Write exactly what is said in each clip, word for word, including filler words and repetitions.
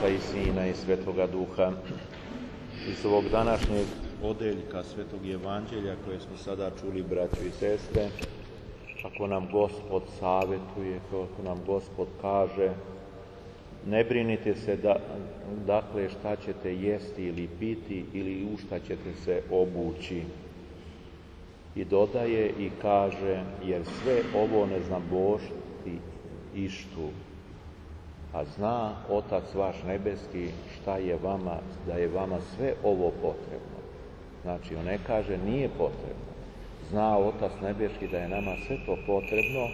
Oca i Sina i Svetoga Duha. Iz ovog današnjeg odeljka Svetog Evanđelja koje smo sada čuli, braćo i sestre, kako nam Gospod savjetuje, kako nam Gospod kaže, ne brinite se da, dakle šta ćete jesti ili piti ili u šta ćete se obući. I dodaje i kaže, jer sve ovo ne zna Božti ištu, a zna Otac vaš nebeski šta je vama, da je vama sve ovo potrebno. Znači, on ne kaže nije potrebno. Zna Otac nebeski da je nama sve to potrebno,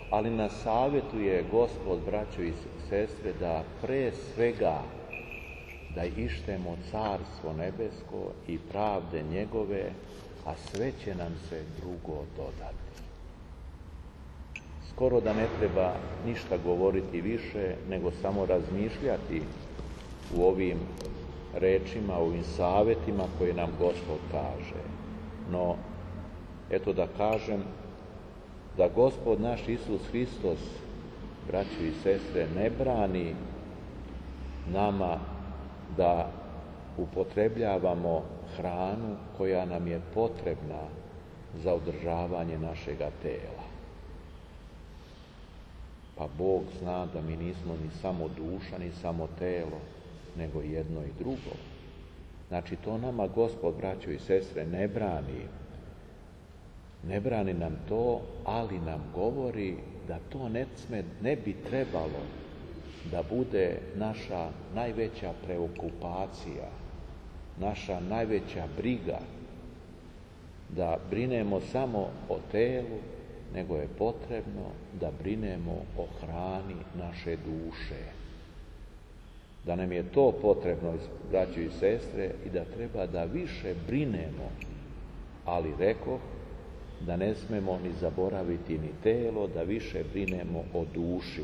ali nas savjetuje Gospod, braćo i sestre, da pre svega da ištemo carstvo nebesko i pravde njegove, a sve će nam se drugo dodati. Skoro da ne treba ništa govoriti više, nego samo razmišljati u ovim rečima, u ovim savjetima koje nam Gospod kaže. No, eto da kažem da Gospod naš Isus Hristos, braćo i sestre, ne brani nama da upotrebljavamo hranu koja nam je potrebna za održavanje našega tela. Pa Bog zna da mi nismo ni samo duša, ni samo telo, nego jedno i drugo. Znači, to nama Gospod, braćo i sestre, ne brani. Ne brani nam to, ali nam govori da to ne, sme, ne bi trebalo da bude naša najveća preokupacija, naša najveća briga, da brinemo samo o telu, nego je potrebno da brinemo o hrani naše duše. Da nam je to potrebno, braćo i sestre, i da treba da više brinemo, ali rekoh, da ne smemo ni zaboraviti ni telo, da više brinemo o duši.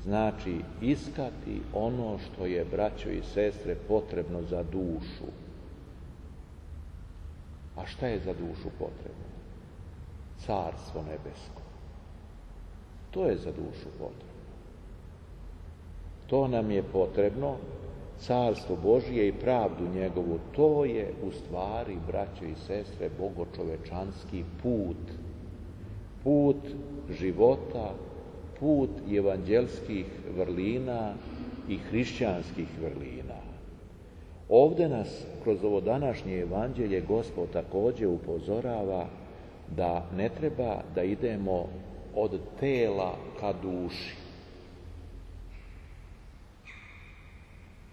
Znači, iskati ono što je, braćo i sestre, potrebno za dušu. A šta je za dušu potrebno? Carstvo nebesko. To je za dušu potrebno. To nam je potrebno, carstvo Božije i pravdu njegovu. To je u stvari, braćo i sestre, bogočovečanski put. Put života, put evanđelskih vrlina i hrišćanskih vrlina. Ovdje nas kroz ovo današnje evanđelje Gospod također upozorava da ne treba da idemo od tela ka duši.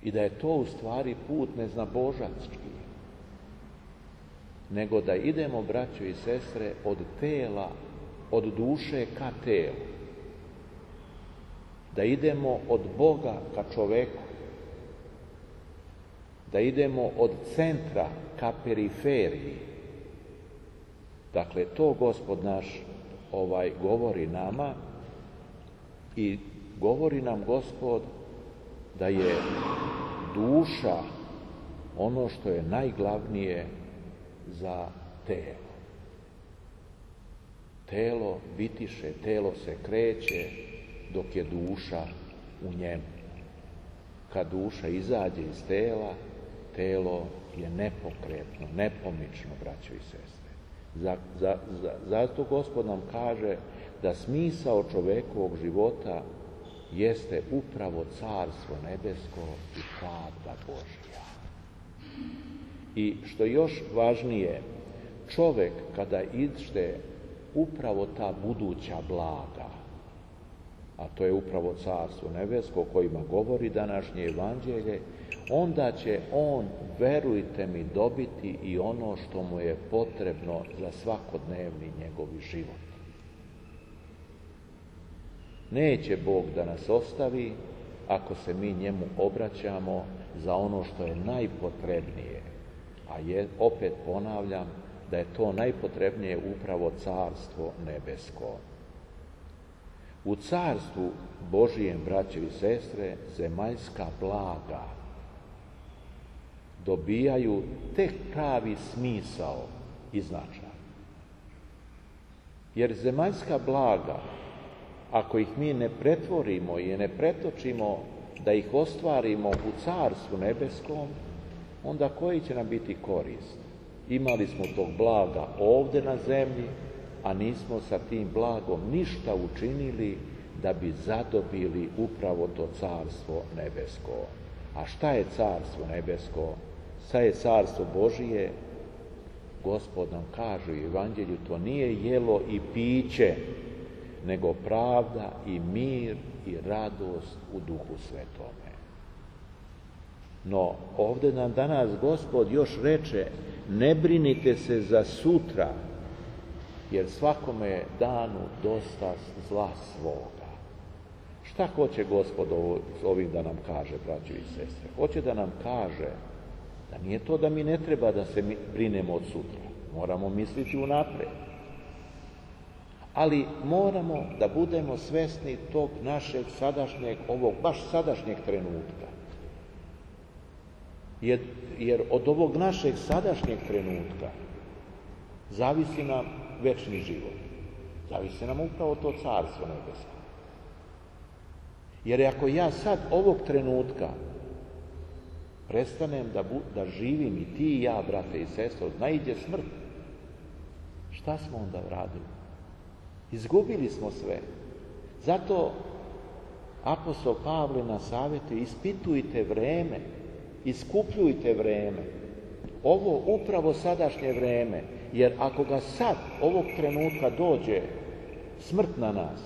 I da je to u stvari put neznabožanski. Nego da idemo, braćo i sestre, od tela, od duše ka telu. Da idemo od Boga ka čoveku. Da idemo od centra ka periferiji. Dakle, to Gospod naš ovaj govori nama i govori nam Gospod da je duša ono što je najglavnije za telo. Telo bitiše, telo se kreće dok je duša u njemu. Kad duša izađe iz tela, telo je nepokretno, nepomično, braćo i sestre. Za, za, za, zato Gospod nam kaže da smisao čovekovog života jeste upravo carstvo nebesko i pravda Božja. I što još važnije, čovek kada ište upravo ta buduća blaga, a to je upravo carstvo nebesko o kojima govori današnje evanđelje, onda će on, verujte mi, dobiti i ono što mu je potrebno za svakodnevni njegovi život. Neće Bog da nas ostavi ako se mi njemu obraćamo za ono što je najpotrebnije. A je, opet ponavljam, da je to najpotrebnije upravo carstvo nebesko. U carstvu Božijem, braćo i sestre, zemaljska blaga dobijaju tek pravi smisao i značaj. Jer zemaljska blaga, ako ih mi ne pretvorimo i ne pretočimo da ih ostvarimo u Carstvu nebeskom, onda koji će nam biti korist? Imali smo tog blaga ovdje na zemlji, a nismo sa tim blagom ništa učinili da bi zadobili upravo to Carstvo nebesko. A šta je Carstvo nebesko? Šta je Carstvo Božije? Gospod nam kaže u Evanđelju, to nije jelo i piće, nego pravda i mir i radost u Duhu Svetome. No, ovdje nam danas Gospod još reče, ne brinite se za sutra, jer svakome danu dosta zla svoga. Šta hoće Gospod ovim da nam kaže, braćo i sestre? Hoće da nam kaže da nije to da mi ne treba da se brinemo od sutra. Moramo misliti unapred. Ali moramo da budemo svesni tog našeg sadašnjeg, ovog baš sadašnjeg trenutka. Jer, jer od ovog našeg sadašnjeg trenutka zavisi nam večni život. Zavisi nam upravo to Carstvo nebesko. Jer ako ja sad ovog trenutka prestanem da, bu, da živim i ti i ja, brate i sestre, naiđe smrt, šta smo onda radili? Izgubili smo sve. Zato apostol Pavle na savjetu, ispitujte vreme, iskupljujte vreme. Ovo upravo sadašnje vreme, jer ako ga sad, ovog trenutka dođe smrt na nas,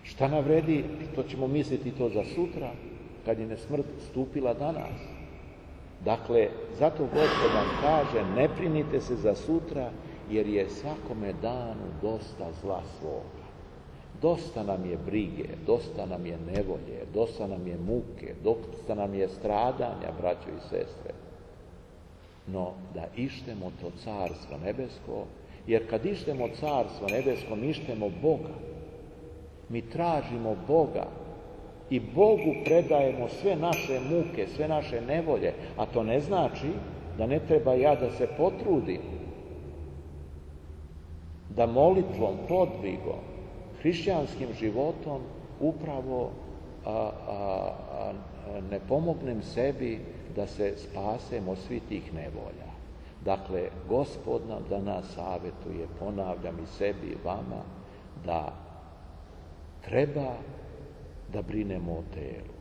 šta nam vredi, što ćemo misliti to za sutra, kad je ne smrt stupila danas. Dakle, zato Gospod nam kaže, ne brinite se za sutra, jer je svakome danu dosta zla svoga. Dosta nam je brige, dosta nam je nevolje, dosta nam je muke, dosta nam je stradanja, braćo i sestre. No, da ištemo to Carstvo nebesko, jer kad ištemo Carstvo nebesko, mi ištemo Boga. Mi tražimo Boga i Bogu predajemo sve naše muke, sve naše nevolje, a to ne znači da ne treba ja da se potrudim, da molitvom, podvigom, hrišćanskim životom upravo a, a, a, ne pomognem sebi da se spasemo svih tih nevolja. Dakle, Gospod nam danas savjetuje, ponavljam i sebi i vama, da treba da brinemo o telu.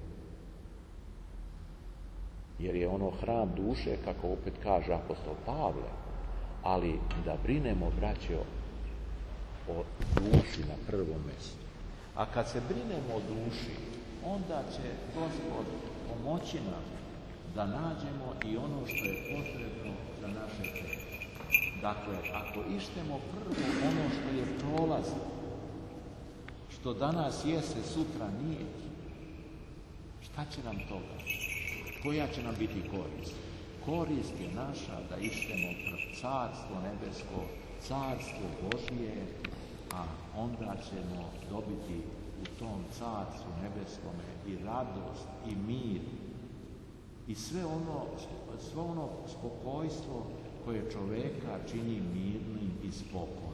Jer je ono hram duše, kako opet kaže apostol Pavle, ali da brinemo, braćo, o duši na prvom mjestu. A kad se brinemo o duši, onda će Gospod pomoći nam da nađemo i ono što je potrebno za naše telo. Dakle, ako ištemo prvo ono što je prolazno, što danas jeste, sutra nije, šta će nam toga? Koja će nam biti korist? Korist je naša da ištemo Carstvo nebesko, Carstvo Božije, a onda ćemo dobiti u tom Carstvu nebeskome i radost, i mir, i sve ono, sve ono spokojstvo koje čoveka čini mirnim i spokojnim.